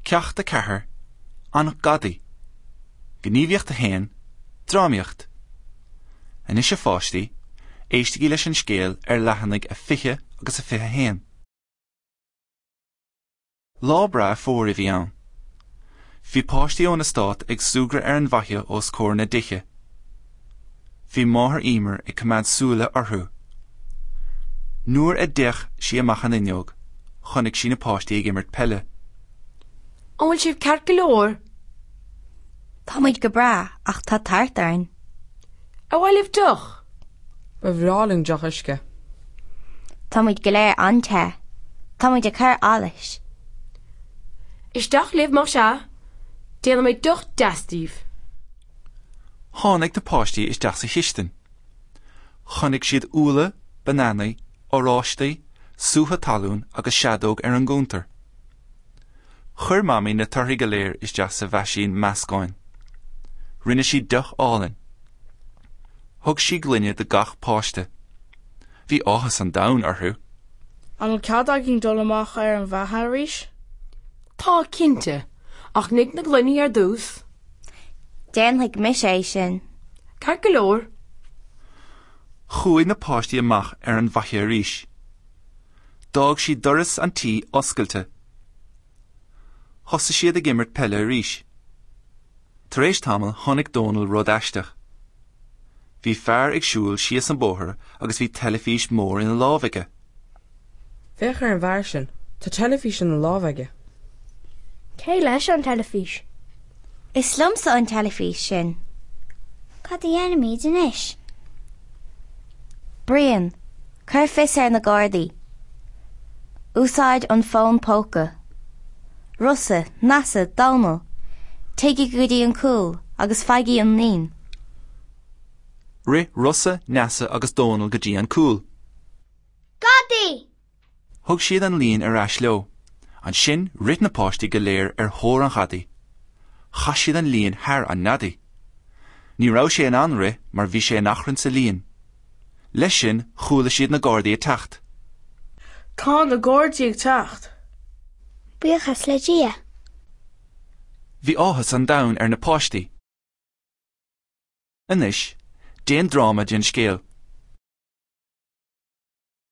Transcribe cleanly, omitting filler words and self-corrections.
Ceacht 4, An Gadaí. Gníomhaíocht 1, Drámaíocht. Anois a pháistí, éistigí leis an scéal ar leathanaigh a 20 agus a 21. Lá breá fómhair a bhí ann. Bhí páistí ón eastát ag súgradh ar an bhfaiche os comhair na dtithe. Bhí máthair Emer ag coimeád súile orthu. Nuair a d'fhéach sí amach an fhuinneog, chonaic sí na páistí ag imirt peile. An bhfuil sibh ceart go leor? Tá muid go breá ach tá tart orainn. Ar mhaith libh deoch? Ba bhreá linn deoch uisce. Tá muid go léir an-te. Tá muid ag cur allais. Isteach libh más ea. Déanfaidh mé deoch deas daoibh. Tháinig na páistí isteach sa chistin. Chonaic siad úlla, bananaí, oráistí, sútha talún agus seadóg ar an gcuntar. Chuir Mamaí na torthaí go léir isteach sa mheaisín meascáin. Rinne sí deoch álainn. Thug sí gloine do gach páiste. Bhí áthas an domhain orthu. An bhfuil cead againn dul amach ar an bhfaiche arís? Tá, cinnte, ach nigh na gloiní ar dtús. Déanfaidh mise é sin. Ceart go leor. Chuaigh na páistí amach ar an bhfaiche arís. D'fhág siad doras an tí oscailte. Thosaigh siad ag imirt peile arís. Tar éis tamaill chonaic Dónal rud aisteach. Bhí fear ag siúl síos an bóthar agus bhí teilifís mór ina lámh aige. Féach ar an bhfear sin, tá teilifís ina lámh aige. Cé leis an teilifís? Is liomsa an teilifís sin. Cad a dhéanfaimid anois? Brian, Cuir fios ar na Gardaí. Úsáid an fón póca. Rossa, Neasa, Dónal, téigí go dtí an cúl agus faighigí an líon. Rith Rossa, Neasa agus Dónal go dtí an cúl. Gadaí! Thug siad an líon ar ais leo. Ansin rith na páistí go léir ar thóir an ghadaí. Chaith siad an líon thar an ngadaí. Ní raibh sé in ann rith mar bhí sé in achrann sa líon. Leis sin chuala siad na Gardaí ag teacht. Tá na Gardaí ag teacht! Buíochas le Dia! Bhí áthas an domhain ar na páistí. Anois, déan dráma den scéal.